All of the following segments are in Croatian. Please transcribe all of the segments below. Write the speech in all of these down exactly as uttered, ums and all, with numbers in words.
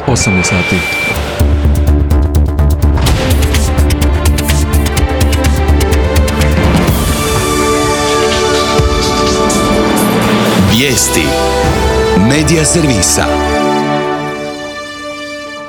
osam je sati. Vijesti Medija servisa.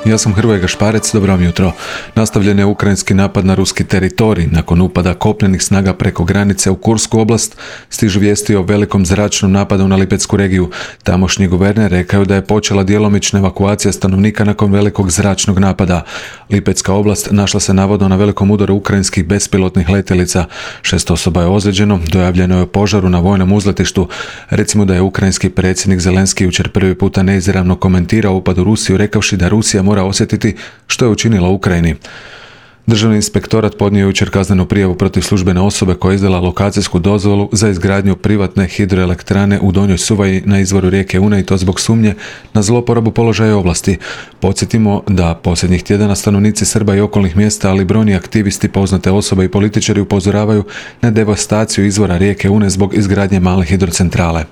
Ja sam Hrvoje Gašparec, dobro vam jutro. Nastavljen je ukrajinski napad na ruski teritorij. Nakon upada kopnenih snaga preko granice u Kursku oblast, stižu vijesti o velikom zračnom napadu na Lipetsku regiju. Tamošnji guverner rekao da je počela djelomična evakuacija stanovnika nakon velikog zračnog napada. Lipetska oblast našla se navodno na velikom udaru ukrajinskih bespilotnih letjelica. Šest osoba je ozlijeđeno, dojavljeno je o požaru na vojnom uzletištu. Recimo da je ukrajinski predsjednik Zelenski jučer prvi puta neizravno komentirao upad u Rusiju, rekavši da Rusija mora osjetiti što je učinila Ukrajini. Državni inspektorat podnio je jučer kaznenu prijavu protiv službene osobe koja je izdala lokacijsku dozvolu za izgradnju privatne hidroelektrane u Donjoj Suvaji na izvoru rijeke Une, i to zbog sumnje na zloporabu položaja ovlasti. Podsjetimo da posljednjih tjedana stanovnici Srba i okolnih mjesta, ali brojni aktivisti, poznate osobe i političari upozoravaju na devastaciju izvora rijeke Une zbog izgradnje male hidrocentrale.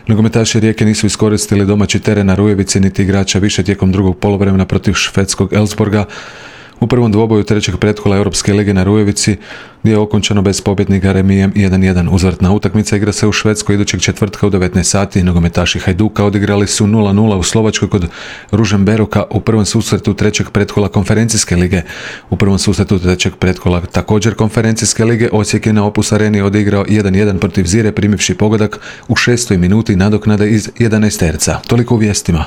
Nogometaši Rijeke nisu iskoristili domaći teren na Rujevici niti igrača više tijekom drugog poluvremena protiv švedskog Elfsborga. U prvom dvoboju trećeg pretkola Europske lige na Rujevici, gdje je okončano bez pobjednika remijem jedan jedan. Uzvratna utakmica igra se u Švedskoj idućeg četvrtka u devetnaest sati. Nogometaši Hajduka odigrali su nula nula u Slovačkoj kod Ružomberoka u prvom susretu trećeg pretkola konferencijske lige. U prvom susretu trećeg pretkola također konferencijske lige Osijek je na Opus Areni odigrao jedan jedan protiv Zire, primivši pogodak u šestoj minuti nadoknade iz jedanaesterca. Toliko u vijestima.